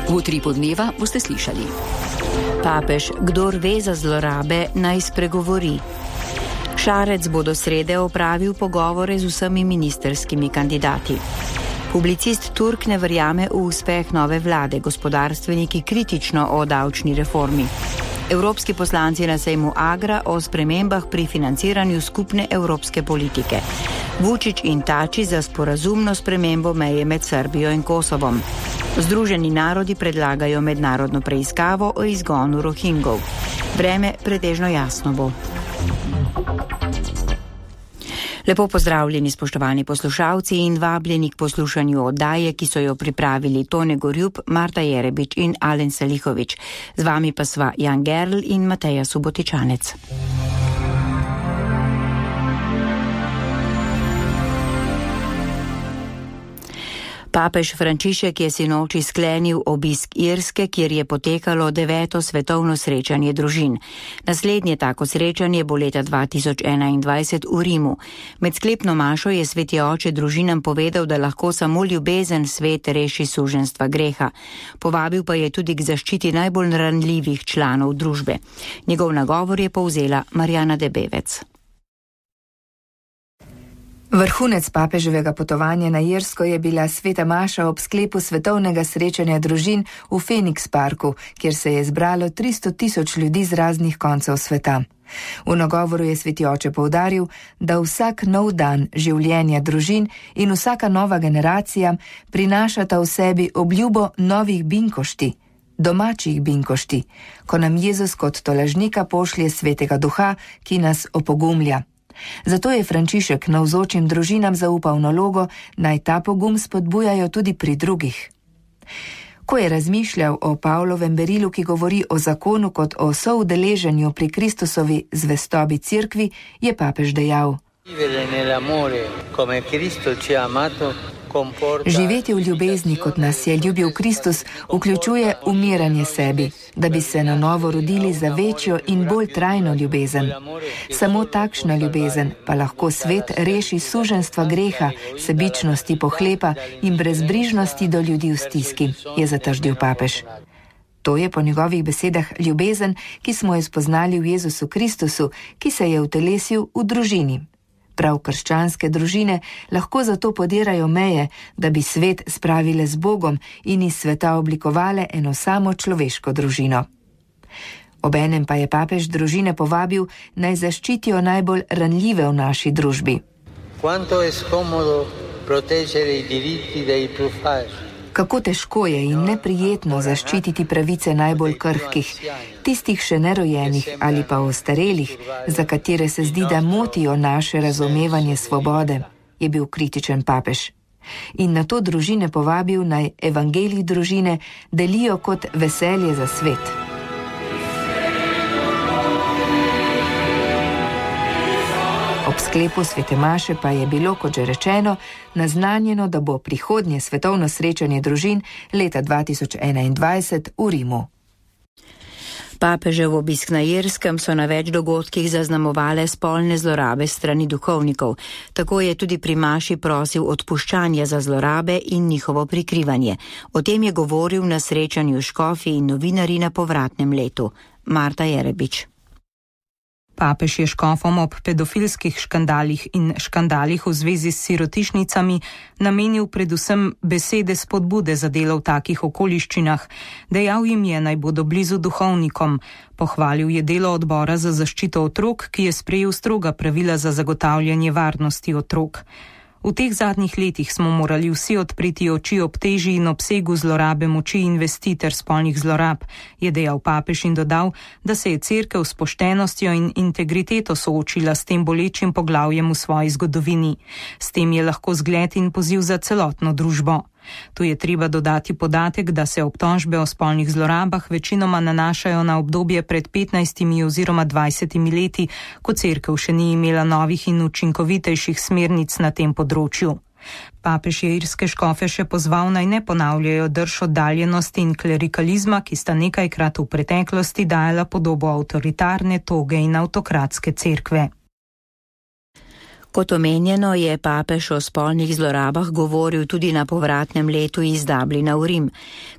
V Utripu dneva boste slišali. Papež, kdor ve za zlorabe, naj spregovori. Šarec bo do srede opravil pogovore z vsemi ministerskimi kandidati. Publicist Turk ne verjame v uspeh nove vlade, gospodarstveniki kritično o davčni reformi. Evropski poslanci na sejmu Agra o spremembah pri financiranju skupne evropske politike. Vučić in Tači za sporazumno spremembo meje med Srbijo in Kosovom. Združeni narodi predlagajo mednarodno preiskavo o izgonu Rohingov. Vreme pretežno jasno bo. Lepo pozdravljeni, spoštovani poslušalci, in vabljeni k poslušanju oddaje, ki so jo pripravili Tone Gorjup, Marta Jerebič in Alen Salihovič. Z vami pa sva Jan Gerl in Mateja Subotičanec. Papež Frančišek je sinoči sklenil obisk Irske, kjer je potekalo 9. svetovno srečanje družin. Naslednje tako srečanje bo leta 2021 v Rimu. Med sklepno mašo je sveti oče družinam povedal, da lahko samo ljubezen svet reši suženjstva greha. Povabil pa je tudi k zaščiti najbolj ranljivih članov družbe. Njegov nagovor je povzela Marjana Debevec. Vrhunec papeževega potovanja na Irsko je bila sveta maša ob sklepu svetovnega srečanja družin v Phoenix Parku, kjer se je zbralo 300.000 ljudi z raznih koncev sveta. V nagovoru je sveti oče poudaril, da vsak nov dan življenja družin in vsaka nova generacija prinašata v sebi obljubo novih binkošti, domačih binkošti, ko nam Jezus kot tolažnika pošlje svetega duha, ki nas opogumlja. Zato je Frančišek navzočim družinam zaupal nalogo, naj ta pogum spodbujajo tudi pri drugih. Ko je razmišljal o Pavlovem berilu, ki govori o zakonu kot o soudeleženju pri Kristusovi zvestobi cerkvi, je papež dejal: živeti v ljubezni, kot nas je ljubil Kristus, vključuje umiranje sebi, da bi se na novo rodili za večjo in bolj trajno ljubezen. Samo takšna ljubezen pa lahko svet reši suženjstva greha, sebičnosti, pohlepa in brezbrižnosti do ljudi v stiski, je zatrdil papež. To je po njegovih besedah ljubezen, ki smo jo spoznali v Jezusu Kristusu, ki se je utelesil v družini. Prav krščanske družine lahko zato podirajo meje, da bi svet spravile z Bogom in iz sveta oblikovale eno samo človeško družino. Obenem pa je papež družine povabil, naj zaščitijo najbolj ranljive v naši družbi. Kako težko je in neprijetno zaščititi pravice najbolj krhkih, tistih še nerojenih ali pa ostarelih, za katere se zdi, da motijo naše razumevanje svobode, je bil kritičen papež. In na to družine povabil, naj evangelij družine delijo kot veselje za svet. Ob sklepu svete maše pa je bilo, kot že rečeno, naznanjeno, da bo prihodnje svetovno srečanje družin leta 2021 v Rimu. Papežev obisk na Irskem so na več dogodkih zaznamovale spolne zlorabe strani duhovnikov. Tako je tudi pri maši prosil odpuščanja za zlorabe in njihovo prikrivanje. O tem je govoril na srečanju škofi in novinarji na povratnem letu. Marta Jerebič. Papež je škofom ob pedofilskih škandalih in škandalih v zvezi s sirotišnicami namenil predvsem besede spodbude za delo v takih okoliščinah. Dejal jim je, naj bodo blizu duhovnikom. Pohvalil je delo odbora za zaščito otrok, ki je sprejel stroga pravila za zagotavljanje varnosti otrok. V teh zadnjih letih smo morali vsi odpreti oči ob teži in obsegu zlorabe moči in vesti ter spolnih zlorab, je dejal papež in dodal, da se je cerkev s poštenostjo in integriteto soočila s tem bolečim poglavjem v svoji zgodovini. S tem je lahko zgled in poziv za celotno družbo. Tu je treba dodati podatek, da se obtožbe o spolnih zlorabah večinoma nanašajo na obdobje pred 15 oziroma 20 leti, ko cerkev še ni imela novih in učinkovitejših smernic na tem področju. Papež je irske škofe še pozval, naj ne ponavljajo drž oddaljenosti in klerikalizma, ki sta nekajkrat v preteklosti dajala podobo avtoritarne, toge in avtokratske cerkve. Kot omenjeno, je papež o spolnih zlorabah govoril tudi na povratnem letu iz Dublina v Rim.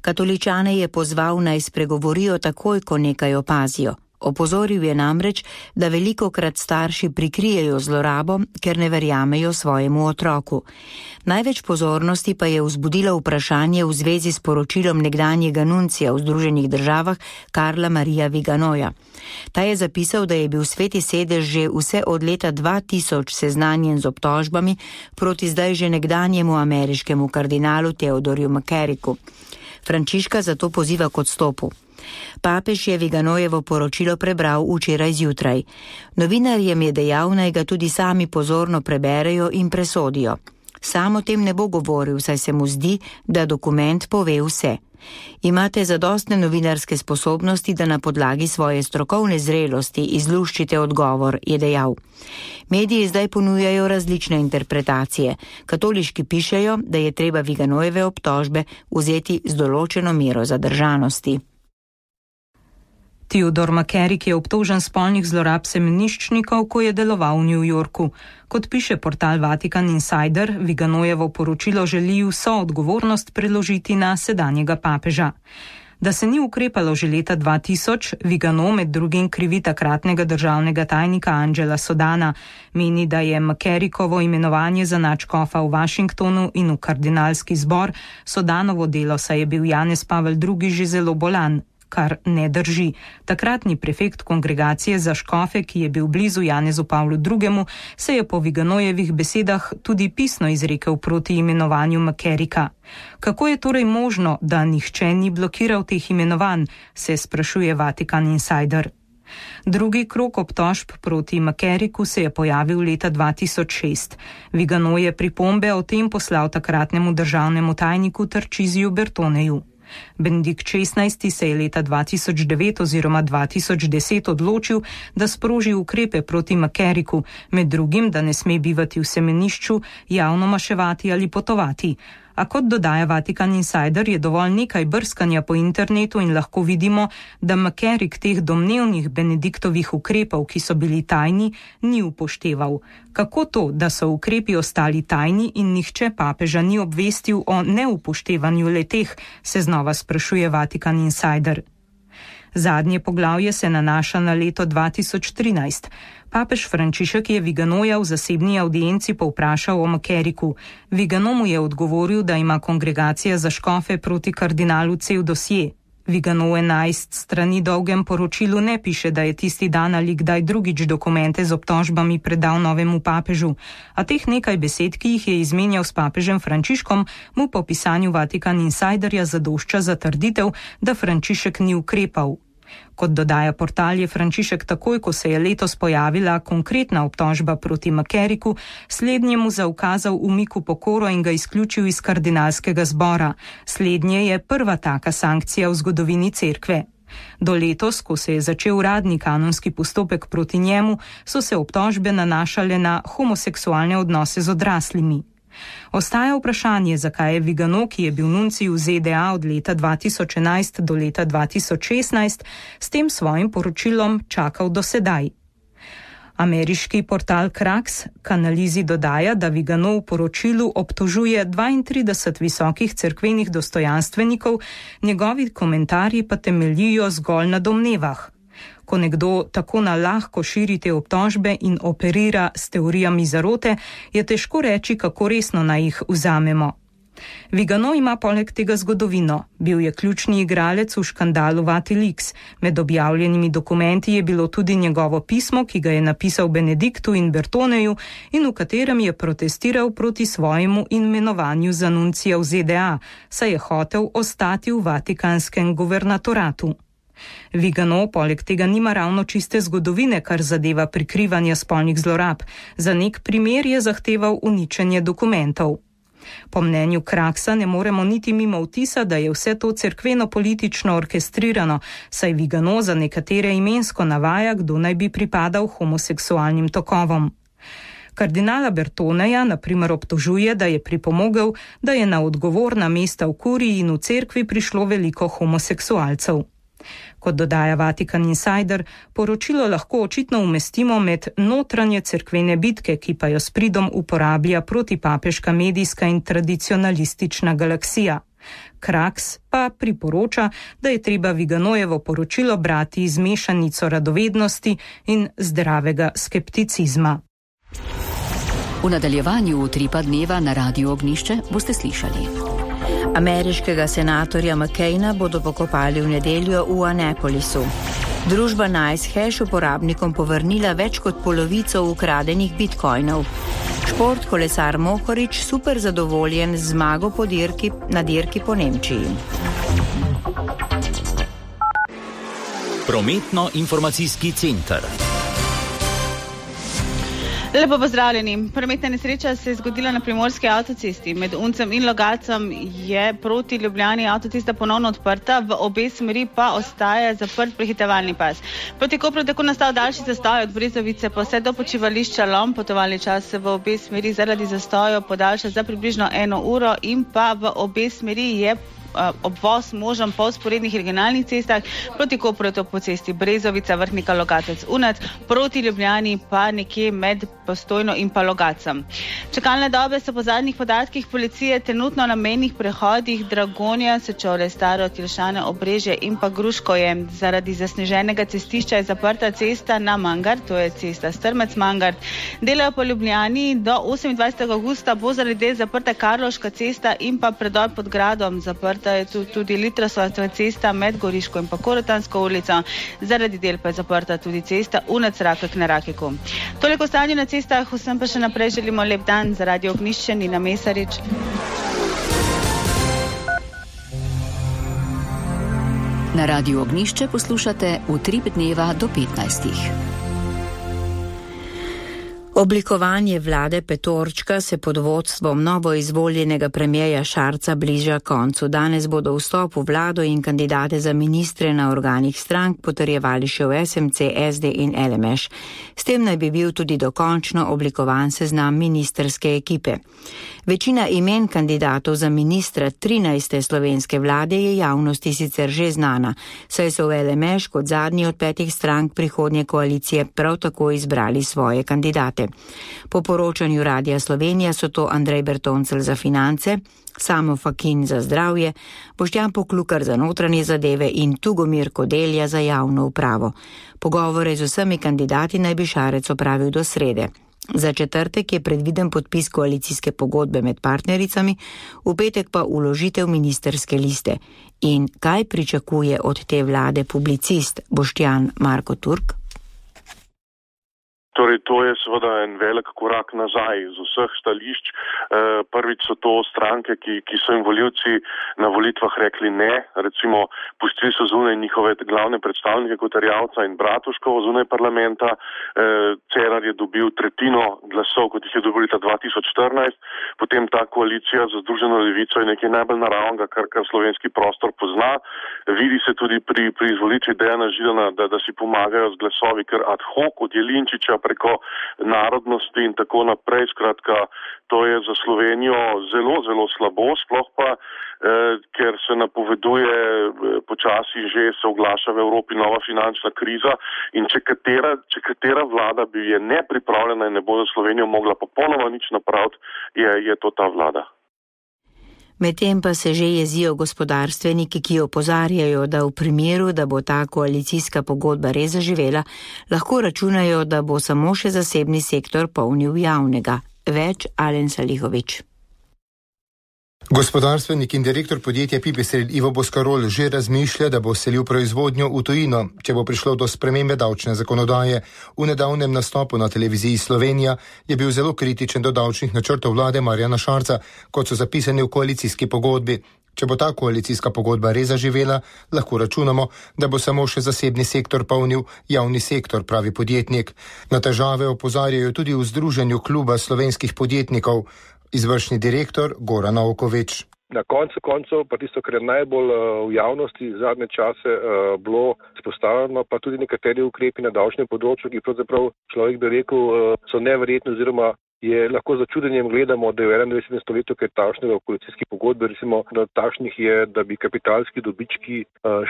Katoličane je pozval, naj spregovorijo takoj, ko nekaj opazijo. Opozoril je namreč, da velikokrat starši prikrijejo zlorabo, ker ne verjamejo svojemu otroku. Največ pozornosti pa je vzbudilo vprašanje v zvezi s poročilom nekdanjega nuncija v Združenih državah Karla Marija Viganoja. Ta je zapisal, da je bil Sveti sedež že vse od leta 2000 seznanjen z obtožbami proti zdaj že nekdanjemu ameriškemu kardinalu Theodorju McCarricku. Frančiška zato poziva k odstopu. Papež je Viganojevo poročilo prebral včeraj zjutraj. Novinarjem je dejal, naj ga tudi sami pozorno preberejo in presodijo. Sam o tem ne bo govoril, saj se mu zdi, da dokument pove vse. Imate zadostne novinarske sposobnosti, da na podlagi svoje strokovne zrelosti izluščite odgovor, je dejal. Mediji zdaj ponujajo različne interpretacije. Katoliški pišejo, da je treba Viganojeve obtožbe vzeti z določeno mero zadržanosti. Theodor McCarrick je obtožen spolnih zlorab semeniščnikov, ko je deloval v New Yorku. Kot piše portal Vatican Insider, Viganojevo poročilo želi vso odgovornost preložiti na sedanjega papeža. Da se ni ukrepalo že leta 2000, Vigano med drugim krivi takratnega državnega tajnika Angela Sodana. Meni, da je McCarrickovo imenovanje za nadškofa v Washingtonu in v kardinalski zbor Sodanovo delo, saj je bil Janez Pavel II že zelo bolan. Kar ne drži. Takratni prefekt kongregacije za škofe, ki je bil blizu Janezu Pavlu II., se je po Viganojevih besedah tudi pisno izrekel proti imenovanju McCarricka. Kako je torej možno, da nihče ni blokiral teh imenovanj, se sprašuje Vatican Insider. Drugi krog obtožb proti McCarricku se je pojavil leta 2006. Vigano je pripombe o tem poslal takratnemu državnemu tajniku Tarcisiju Bertoneju. Benedikt XVI se je leta 2009 oziroma 2010 odločil, da sproži ukrepe proti McCarricku, med drugim, da ne sme bivati v semenišču, javno maševati ali potovati. A kot dodaja Vatican Insider, je dovolj nekaj brskanja po internetu in lahko vidimo, da McCarrick teh domnevnih Benediktovih ukrepov, ki so bili tajni, ni upošteval. Kako to, da so ukrepi ostali tajni in nihče papeža ni obvestil o neupoštevanju leteh, se znova sprašuje Vatican Insider. Zadnje poglavje se nanaša na leto 2013. Papež Frančišek je Viganoja v zasebni audienci povprašal o McCarricku. Vigano mu je odgovoril, da ima kongregacija za škofe proti kardinalu cel dosje. Vigano v 11 strani dolgem poročilu ne piše, da je tisti dan ali kdaj drugič dokumente z obtožbami predal novemu papežu, a teh nekaj besed, ki jih je izmenjal s papežem Frančiškom, mu po pisanju Vatican Insiderja zadošča za trditev, da Frančišek ni ukrepal. Kot dodaja portal, je Frančišek takoj, ko se je letos pojavila konkretna obtožba proti McCarricku, slednjemu zaukazal umik v pokoro in ga izključil iz kardinalskega zbora. Slednje je prva taka sankcija v zgodovini cerkve. Do letos, ko se je začel uradni kanonski postopek proti njemu, so se obtožbe nanašale na homoseksualne odnose z odraslimi. Ostaja vprašanje, zakaj je Vigano, ki je bil nuncij v ZDA od leta 2011 do leta 2016, s tem svojim poročilom čakal do sedaj. Ameriški portal Krax k analizi dodaja, da Vigano v poročilu obtožuje 32 visokih cerkvenih dostojanstvenikov, njegovi komentarji pa temeljijo zgolj na domnevah. Ko nekdo tako na lahko širi te obtožbe in operira s teorijami zarote, je težko reči, kako resno naj jih vzamemo. Vigano ima poleg tega zgodovino. Bil je ključni igralec v škandalu Vatilix. Med objavljenimi dokumenti je bilo tudi njegovo pismo, ki ga je napisal Benediktu in Bertoneju in v katerem je protestiral proti svojemu imenovanju za nuncija v ZDA, saj je hotel ostati v vatikanskem guvernatoratu. Vigano poleg tega nima ravno čiste zgodovine, kar zadeva prikrivanje spolnih zlorab. Za nek primer je zahteval uničenje dokumentov. Po mnenju Kraksa ne moremo niti mimo vtisa, da je vse to cerkveno-politično orkestrirano, saj Vigano za nekatere imensko navaja, kdo naj bi pripadal homoseksualnim tokovom. Kardinala Bertoneja na primer obtožuje, da je pripomogel, da je na odgovorna mesta v kuriji in v cerkvi prišlo veliko homoseksualcev. Kot dodaja Vatikan Insider, poročilo lahko očitno umestimo med notranje cerkvene bitke, ki pa jo s pridom uporablja protipapeška medijska in tradicionalistična galaksija. Kraks pa priporoča, da je treba Viganojevo poročilo brati z mešanico radovednosti in zdravega skepticizma. V nadaljevanju Utripa dneva na Radiu Ognjišče boste slišali. Ameriškega senatorja McCaina bodo pokopali v nedeljo v Annapolisu. Družba NiceHash uporabnikom povrnila več kot polovico ukradenih bitcoinov. Šport kolesar Mohorič super zadovoljen z zmago na dirki po Nemčiji. Prometno-informacijski center. Lepo pozdravljeni. Prometna nesreča se je zgodila na primorski avtocesti. Med Uncem in Logatcem je proti Ljubljani avtocesta ponovno odprta, v obe smeri pa ostaja zaprt prehitevalni pas. Proti Kopru tako nastal daljši zastoj od Brezovice pa vse do počivališča Lom. Potovalni čas se v obe smeri zaradi zastoja podaljša za približno 1 uro in pa v obe smeri je obvoz možen po vzporednih regionalnih cestah. Proti Kopru je to po cesti Brezovica, Vrhnika, Logatec, Unac, proti Ljubljani pa nekje med Postojno in pa Logatcem. Čakalne dobe so po zadnjih podatkih policije trenutno na mejnih prehodih Dragonja, Sečovlje, Staro, Tilšane, Obrežje in pa Gruškoje. Zaradi zasneženega cestišča je zaprta cesta na Mangart, to je cesta Strmec-Mangart. Delajo po Ljubljani do 28. augusta bo zaradi del zaprta Karloška cesta in pa predor pod gradom. Zaprta je tudi Litrasova cesta med Goriško in pa Korotansko ulico. Zaradi del pa je zaprta tudi cesta Unac-Rakek na Rakeku. Toliko stanje na cestah, vsem pa še naprej želimo lep dan. Za Radio Ognjišče, Nina Mesarič. Na Radiu Ognjišče poslušate Utrip dneva do 15. Oblikovanje vlade petorčka se pod vodstvom novoizvoljenega premierja Šarca bliža koncu. Danes bodo vstop v vlado in kandidate za ministre na organih strank potrjevali še v SMC, SD in LMŠ. S tem naj bi bil tudi dokončno oblikovan seznam ministerske ekipe. Večina imen kandidatov za ministra 13. slovenske vlade je javnosti sicer že znana, saj so v LMŠ kot zadnji od 5 strank prihodnje koalicije prav tako izbrali svoje kandidate. Po poročanju Radia Slovenija so to Andrej Bertoncelj za finance, Samo Fakin za zdravje, Boštjan Poklukar za notranje zadeve in Tugomir Kodelja za javno upravo. Pogovore z vsemi kandidati naj bi Šarec opravil do srede. Za četrtek je predviden podpis koalicijske pogodbe med partnericami, v petek pa vložitev ministerske liste. In kaj pričakuje od te vlade publicist Boštjan Marko Turk? Torej, to je seveda en velik korak nazaj z vseh stališč. Prvič so to stranke, ki so jim volivci na volitvah rekli ne. Recimo, pustili so zunaj njihove glavne predstavnike kot Erjavca in Bratuškovo zunaj parlamenta. Cerar je dobil tretjino glasov, kot jih je dobil leta 2014. Potem ta koalicija za Združeno levico je nekaj najbolj naravnega, kar slovenski prostor pozna. Vidi se tudi pri izvolitvi Dejana Židana, da si pomagajo z glasovi kar ad hoc od Jelinčiča preko narodnosti in tako naprej. Skratka, to je za Slovenijo zelo, zelo slabo, sploh pa, ker se napoveduje počasi že se oglaša v Evropi nova finančna kriza in če katera vlada bi je nepripravljena in ne bo za Slovenijo mogla popolnoma nič napraviti, je to ta vlada. Medtem pa se že jezijo gospodarstveniki, ki opozarjajo, da v primeru, da bo ta koalicijska pogodba res zaživela, lahko računajo, da bo samo še zasebni sektor polnil javnega. Več Alen Salihovič. Gospodarstvenik in direktor podjetja Pipistrel Ivo Boskarol že razmišlja, da bo selil proizvodnjo v tujino, če bo prišlo do spremembe davčne zakonodaje. V nedavnem nastopu na televiziji Slovenija je bil zelo kritičen do davčnih načrtov vlade Marjana Šarca, kot so zapisani v koalicijski pogodbi. Če bo ta koalicijska pogodba res zaživela, lahko računamo, da bo samo še zasebni sektor polnil javni sektor, pravi podjetnik. Na težave opozarjajo tudi v Združenju kluba slovenskih podjetnikov. Izvršni direktor Goran Naukovič. Na koncu pa tisto, kar je najbolj v javnosti zadnje čase bilo izpostavljeno, pa tudi nekateri ukrepi na davčnem področju, ki pravzaprav človek bi rekel so neverjetni oziroma je lahko za čudenjem gledamo, da je v 21. stoletju kaj takšnega v koalicijski pogodbi, recimo, da takšnih je, da bi kapitalski dobički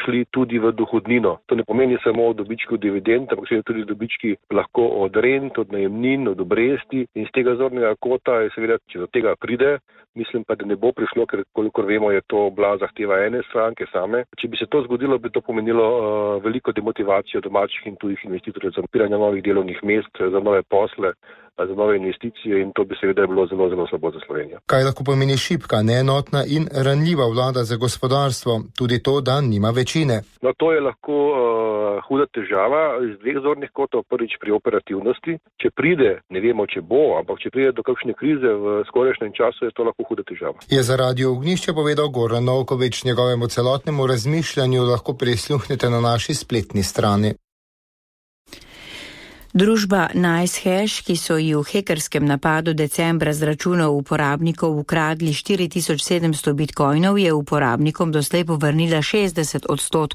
šli tudi v dohodnino. To ne pomeni samo dobički od dividend, ampak tudi dobički lahko od rent, od najemnin, od obresti in z tega zornega kota je seveda, če do tega pride, mislim pa, da ne bo prišlo, ker kolikor vemo, je to bila zahteva ene stranke same. Če bi se to zgodilo, bi to pomenilo veliko demotivacijo domačih in tujih investitorjev za odpiranje novih delovnih mest, za nove posle, za nove investicije in to bi seveda bilo zelo, zelo slabo za Slovenijo. Kaj lahko pomeni šibka, neenotna in ranljiva vlada za gospodarstvo? Tudi to, da nima večine. No, to je lahko huda težava iz dveh zornih kotov. Prvič pri operativnosti. Če pride, ne vemo, če bo, ampak če pride do kakšne krize v skorajšnjem času, je to lahko huda težava. Je za Radio Ognjišče povedal Goran Novkovič. Njegovemu celotnemu razmišljanju lahko prisluhnete na naši spletni strani. Družba NiceHash, ki so ji v hekerskem napadu decembra z računov uporabnikov ukradli 4700 bitcoinov, je uporabnikom doslej povrnila 60%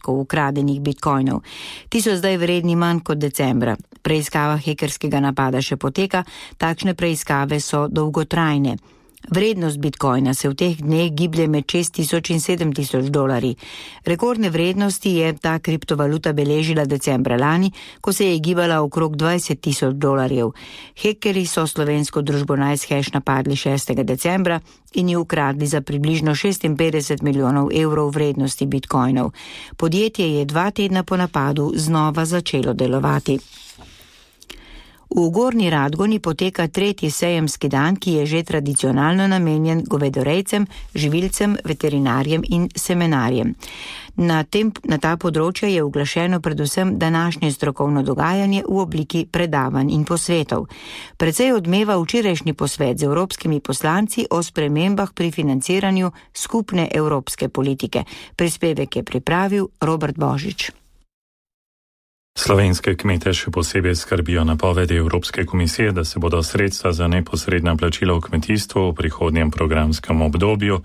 ukradenih bitcoinov. Ti so zdaj vredni manj kot decembra. Preiskava hekerskega napada še poteka, takšne preiskave so dolgotrajne. Vrednost bitcoina se v teh dneh giblje med $6,000 in $7,000. Rekordne vrednosti je ta kriptovaluta beležila decembra lani, ko se je gibala okrog $20,000. Hekerji so slovensko družbo NiceHash napadli 6. decembra in ji ukradli za približno 56 milijonov evrov vrednosti bitcoinov. Podjetje je 2 tedna po napadu znova začelo delovati. V Gornji Radgoni poteka 3. sejemski dan, ki je že tradicionalno namenjen govedorejcem, živilcem, veterinarjem in semenarjem. Na ta področja je uglašeno predvsem današnje strokovno dogajanje v obliki predavanj in posvetov. Precej odmeva včerajšnji posvet z evropskimi poslanci o spremembah pri financiranju skupne evropske politike. Prispevek je pripravil Robert Božič. Slovenske kmete še posebej skrbijo napovedi Evropske komisije, da se bodo sredstva za neposredna plačila v kmetijstvu v prihodnjem programskem obdobju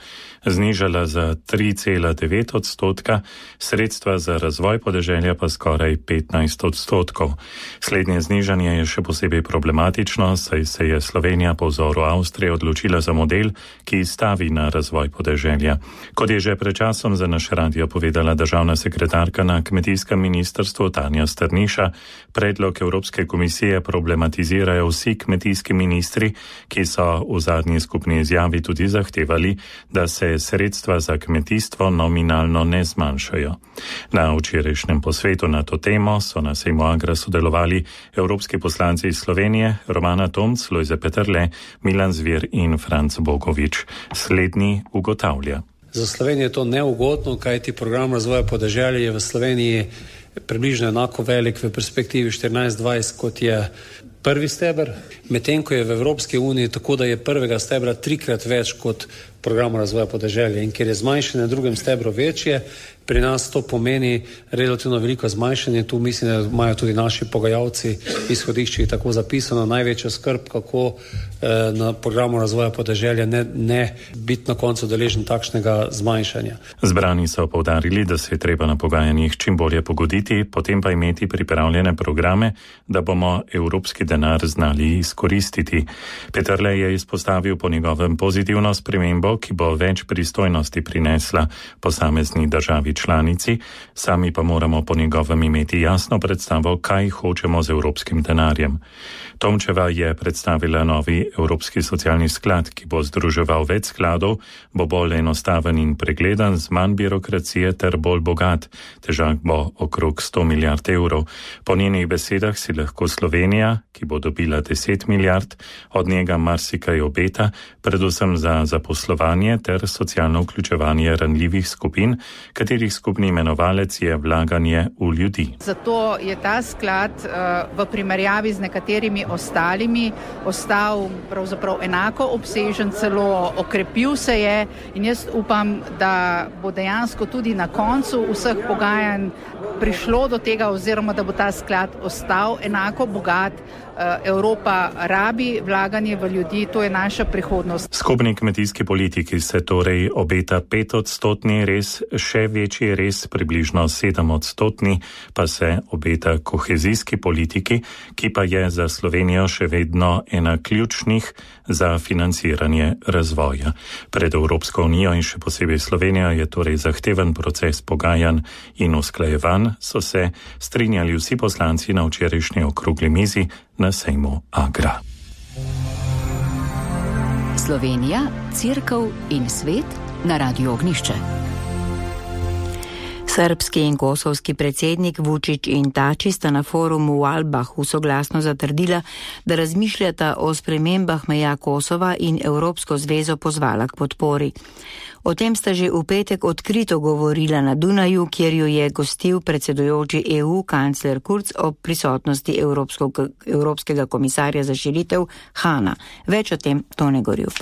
znižala za 3,9%, sredstva za razvoj podeželja pa skoraj 15%. Slednje znižanje je še posebej problematično, saj se je Slovenija po vzoru Avstrije odločila za model, ki stavi na razvoj podeželja. Kot je že pred časom za naš radio povedala državna sekretarka na kmetijskem ministrstvu Tanja Strniša, predlog Evropske komisije problematizirajo vsi kmetijski ministri, ki so v zadnji skupni izjavi tudi zahtevali, da se sredstva za kmetijstvo nominalno ne zmanjšajo. Na včerajšnjem posvetu na to temo so na sejmu Agra sodelovali evropski poslanci iz Slovenije, Romana Tomc, Lojze Peterle, Milan Zver in Franc Bogovič. Slednji ugotavlja. Za Slovenijo je to neugodno, kajti program razvoja podeželja je v Sloveniji približno enako velik v perspektivi 14-20, kot je prvi steber, medtem ko je v Evropski uniji tako, da je prvega stebra 3-krat več kot program razvoja podeželja. In ker je zmanjšanje na drugem stebru večje, pri nas to pomeni relativno veliko zmanjšanje. Tu mislim, da imajo tudi naši pogajalci izhodišči tako zapisano največjo skrb, kako na programu razvoja podeželja ne biti na koncu deležen takšnega zmanjšanja. Zbrani so poudarili, da se je treba na pogajanjih čim bolje pogoditi, potem pa imeti pripravljene programe, da bomo evropski denar znali izkoristiti. Peterle je izpostavil po njegovem pozitivno spremembo, ki bo več pristojnosti prinesla posamezni državi članici, sami pa moramo po njegovem imeti jasno predstavo, kaj hočemo z evropskim denarjem. Tomčeva je predstavila novi Evropski socialni sklad, ki bo združeval več skladov, bo bolj enostaven in pregledan, z manj birokracije ter bolj bogat. Težak bo okrog 100 milijard evrov. Po njenih besedah si lahko Slovenija, ki bo dobila 10 milijard, od njega marsikaj obeta, predvsem za zaposlovanje ter socialno vključevanje ranljivih skupin, katerih skupni imenovalec je vlaganje v ljudi. Zato je ta sklad v primerjavi z nekaterimi ostalimi ostal pravzaprav enako obsežen, celo okrepil se je in jaz upam, da bo dejansko tudi na koncu vseh pogajanj prišlo do tega oziroma da bo ta sklad ostal enako bogat. Evropa rabi vlaganje v ljudi, to je naša prihodnost. Skupni kmetijski politiki se torej obeta 5-odstotni res, še večji res, približno 7-odstotni pa se obeta kohezijski politiki, ki pa je za Slovenijo še vedno ena ključnih za financiranje razvoja. Pred Evropsko unijo in še posebej Slovenijo je torej zahteven proces pogajanj in usklajevanj, so se strinjali vsi poslanci na včerajšnji okrogli mizi na sejmu Agra. Slovenija, Cerkev in svet na Radiu Ognišče. Srbski in kosovski predsednik Vučić in Tači sta na forumu v Albahu soglasno zatrdila, da razmišljata o spremembah meja Kosova in Evropsko zvezo pozvala k podpori. O tem sta že v petek odkrito govorila na Dunaju, kjer jo je gostil predsedujoči EU kancler Kurz ob prisotnosti Evropskega komisarja za širitev Hana. Več o tem Tone Gorjup.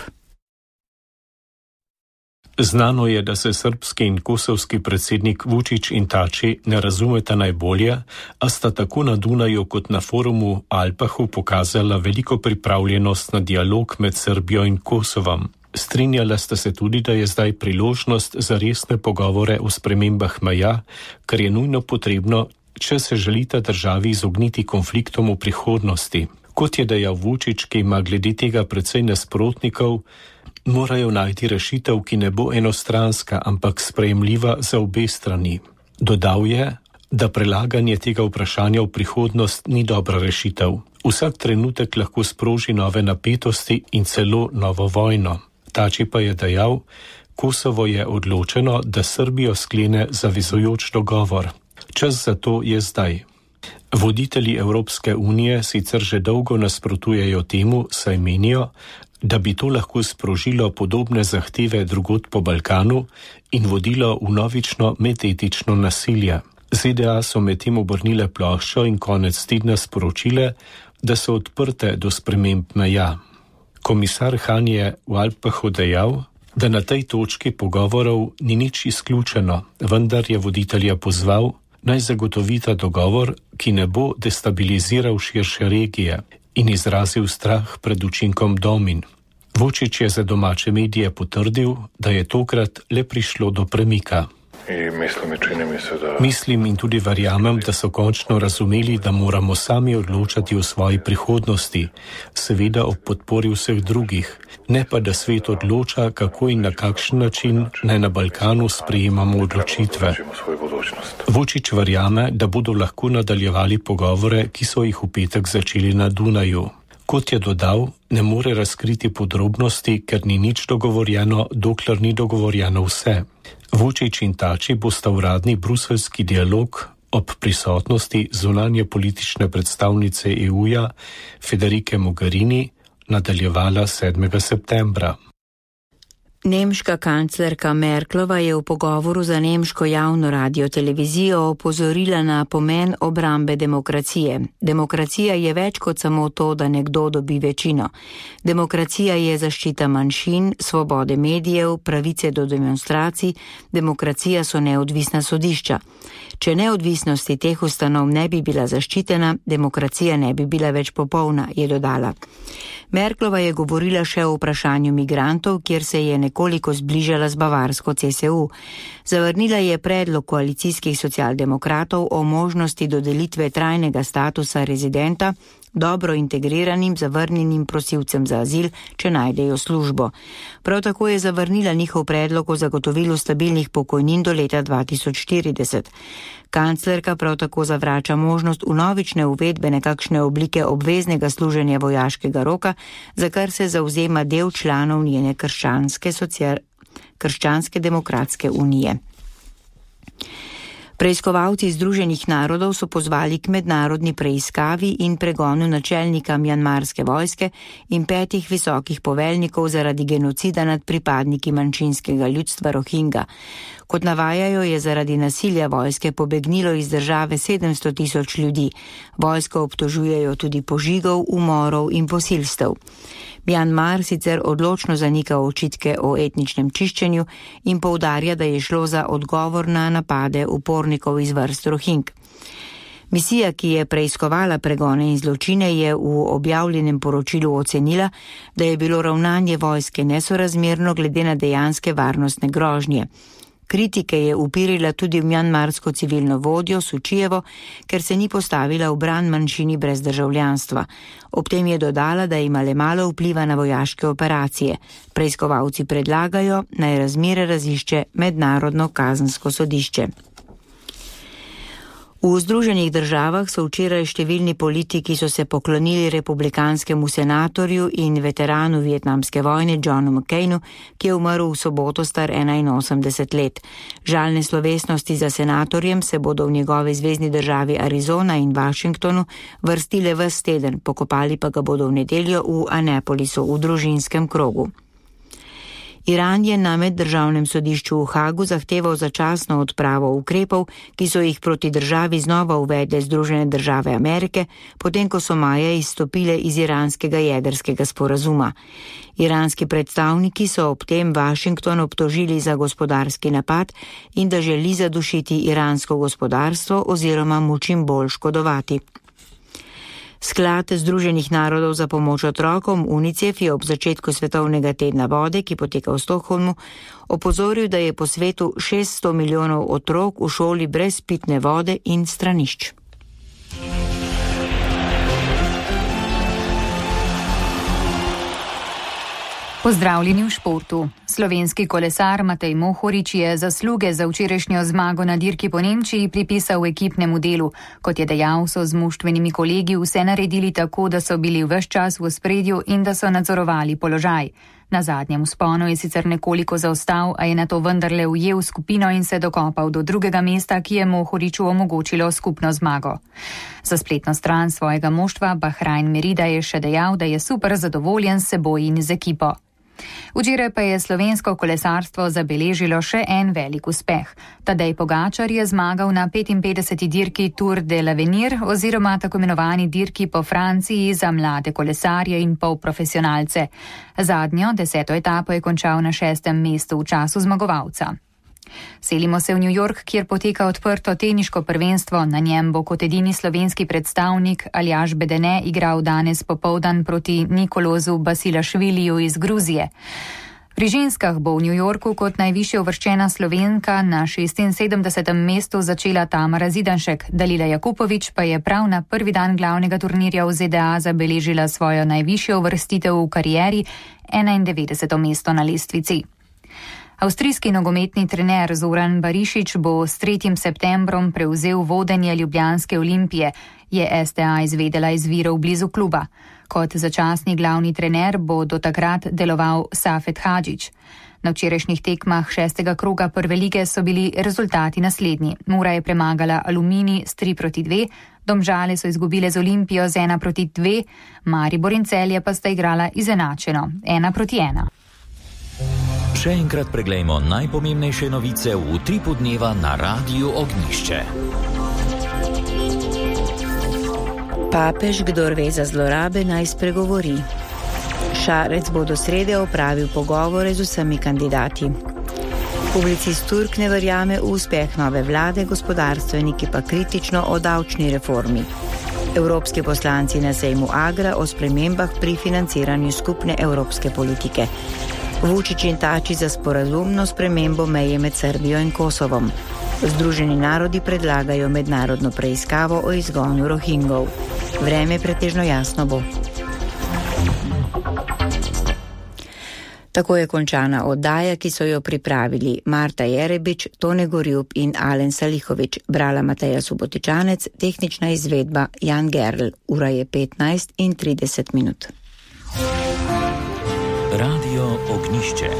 Znano je, da se srbski in kosovski predsednik Vučić in Tači ne razumeta najbolje, a sta tako na Dunaju kot na forumu Alpahu pokazala veliko pripravljenost na dialog med Srbijo in Kosovom. Strinjala sta se tudi, da je zdaj priložnost za resne pogovore o spremembah meja, kar je nujno potrebno, če se želita državi izogniti konfliktom v prihodnosti. Kot je dejal Vučić, ki ima glede tega precej nasprotnikov, morajo najti rešitev, ki ne bo enostranska, ampak sprejemljiva za obe strani. Dodal je, da prelaganje tega vprašanja v prihodnost ni dobra rešitev. Vsak trenutek lahko sproži nove napetosti in celo novo vojno. Tači pa je dejal, Kosovo je odločeno, da Srbijo sklene zavezujoč dogovor. Čas za to je zdaj. Voditelji Evropske unije sicer že dolgo nasprotujejo temu, saj menijo, da bi to lahko sprožilo podobne zahteve drugod po Balkanu in vodilo v novično medetično nasilje. ZDA so medtem obrnile ploščo in konec tedna sporočile, da so odprte do sprememb meja. Komisar Han je v Alpahu dejal, da na tej točki pogovorov ni nič izključeno, vendar je voditelja pozval, naj zagotovita dogovor, ki ne bo destabiliziral širše regije in izrazil strah pred učinkom domin. Vučić je za domače medije potrdil, da je tokrat le prišlo do premika. Mislim in tudi verjamem, da so končno razumeli, da moramo sami odločati o svoji prihodnosti, seveda ob podpori vseh drugih, ne pa da svet odloča, kako in na kakšen način naj na Balkanu sprejemamo odločitve. Vučić verjame, da bodo lahko nadaljevali pogovore, ki so jih v petek začeli na Dunaju. Kot je dodal, ne more razkriti podrobnosti, ker ni nič dogovorjeno, dokler ni dogovorjeno vse. Vučić in Tači bosta uradni bruseljski dialog ob prisotnosti zunanje politične predstavnice EU-ja Federike Mogherini nadaljevala 7. septembra. Nemška kanclerka Merklova je v pogovoru za nemško javno radiotelevizijo opozorila na pomen obrambe demokracije. Demokracija je več kot samo to, da nekdo dobi večino. Demokracija je zaščita manjšin, svobode medijev, pravice do demonstracij, demokracija so neodvisna sodišča. Če neodvisnosti teh ustanov ne bi bila zaščitena, demokracija ne bi bila več popolna, je dodala. Merklova je govorila še o vprašanju migrantov, kjer se je nekoliko zbližala z bavarsko CSU. Zavrnila je predlog koalicijskih socialdemokratov o možnosti dodelitve trajnega statusa rezidenta dobro integriranim zavrnjenim prosilcem za azil, če najdejo službo. Prav tako je zavrnila njihov predlog o zagotovilu stabilnih pokojnin do leta 2040. Kanclerka prav tako zavrača možnost vnovične uvedbe nekakšne oblike obveznega služenja vojaškega roka, za kar se zavzema del članov njene krščanske demokratske unije. Preiskovalci Združenih narodov so pozvali k mednarodni preiskavi in pregonu načelnika mjanmarske vojske in 5 visokih poveljnikov zaradi genocida nad pripadniki manjšinskega ljudstva Rohingja. Kot navajajo, je zaradi nasilja vojske pobegnilo iz države 700 000 ljudi. Vojsko obtožujejo tudi požigov, umorov in posilstev. Mjanmar sicer odločno zanika očitke o etničnem čiščenju in poudarja, da je šlo za odgovor na napade upornikov upornikov iz vrst Rohing. Misija, ki je preiskovala pregone in zločine, je v objavljenem poročilu ocenila, da je bilo ravnanje vojske nesorazmerno glede na dejanske varnostne grožnje. Kritike je upirila tudi v mjanmarsko civilno vodjo Sučijevo, ker se ni postavila v bran manjšini brez državljanstva. Ob tem je dodala, da ima le malo vpliva na vojaške operacije. Preiskovalci predlagajo, naj razmere razišče Mednarodno kazensko sodišče. V Združenih državah so včeraj številni politiki so se poklonili republikanskemu senatorju in veteranu vietnamske vojne Johnu McCainu, ki je umrl v soboto star 81 let. Žalne slovesnosti za senatorjem se bodo v njegovi zvezni državi Arizona in Washingtonu vrstile ves teden, pokopali pa ga bodo v nedeljo v Annapolisu v družinskem krogu. Iran je na meddržavnem sodišču v Hagu zahteval začasno odpravo ukrepov, ki so jih proti državi znova uvedle Združene države Amerike, potem ko so maja izstopile iz iranskega jedrskega sporazuma. Iranski predstavniki so ob tem Washington obtožili za gospodarski napad in da želi zadušiti iransko gospodarstvo oziroma mu čim bolj škodovati. Sklad Združenih narodov za pomoč otrokom UNICEF je ob začetku Svetovnega tedna vode, ki poteka v Stockholmu, opozoril, da je po svetu 600 milijonov otrok v šoli brez pitne vode in stranišč. Pozdravljeni v športu. Slovenski kolesar Matej Mohorič je zasluge za včerajšnjo zmago na dirki po Nemčiji pripisal ekipnemu delu. Kot je dejal, so z moštvenimi kolegi vse naredili tako, da so bili ves čas v ospredju in da so nadzorovali položaj. Na zadnjem vzponu je sicer nekoliko zaostal, a je nato vendarle ujel skupino in se dokopal do drugega mesta, ki je Mohoriču omogočilo skupno zmago. Za spletno stran svojega moštva Bahrain Merida je še dejal, da je super zadovoljen s seboj in z ekipo. Včeraj pa je slovensko kolesarstvo zabeležilo še en velik uspeh. Tadej Pogačar je zmagal na 55. dirki Tour de l'Avenir oziroma tako imenovani dirki po Franciji za mlade kolesarje in polprofesionalce. Zadnjo, 10. etapo je končal na 6. mestu v času zmagovalca. Selimo se v New York, kjer poteka odprto teniško prvenstvo. Na njem bo kot edini slovenski predstavnik Aljaž Bedene igral danes popoldan proti Nikolozu Basilašviliju iz Gruzije. Pri ženskah bo v New Yorku kot najvišje uvrščena Slovenka na 76. mestu začela Tamara Zidanšek. Dalila Jakupovič pa je prav na prvi dan glavnega turnirja v ZDA zabeležila svojo najvišjo uvrstitev v karieri, 91. mesto na lestvici. Avstrijski nogometni trener Zoran Barišić bo s 3. septembrom prevzel vodenje ljubljanske Olimpije, je STA izvedela iz virov blizu kluba. Kot začasni glavni trener bo do takrat deloval Safet Hadžić. Na včerajšnjih tekmah 6. kroga prve lige so bili rezultati naslednji. Mura je premagala Aluminij s 3-2, Domžale so izgubile z Olimpijo z 1-2, Maribor in Celje pa sta igrala izenačeno 1-1. Še enkrat preglejmo najpomembnejše novice v utripu dneva na Radiu Ognišče. Papež, kdor ve za zlorabe, naj spregovori. Šarec bo do srede opravil pogovore z vsemi kandidati. Publicist Turk ne verjame v uspeh nove vlade, gospodarstveniki pa kritično o davčni reformi. Evropski poslanci na sejmu Agra o spremembah pri financiranju skupne evropske politike. Vučić in Tači za sporazumno spremembo meje med Srbijo in Kosovom. Združeni narodi predlagajo mednarodno preiskavo o izgonu Rohingov. Vreme pretežno jasno bo. Tako je končana oddaja, ki so jo pripravili Marta Jerebič, Tone Gorjub in Alen Salihovič. Brala Mateja Subotičanec, tehnična izvedba Jan Gerl. Ura je 15:30. Radio Ognišče.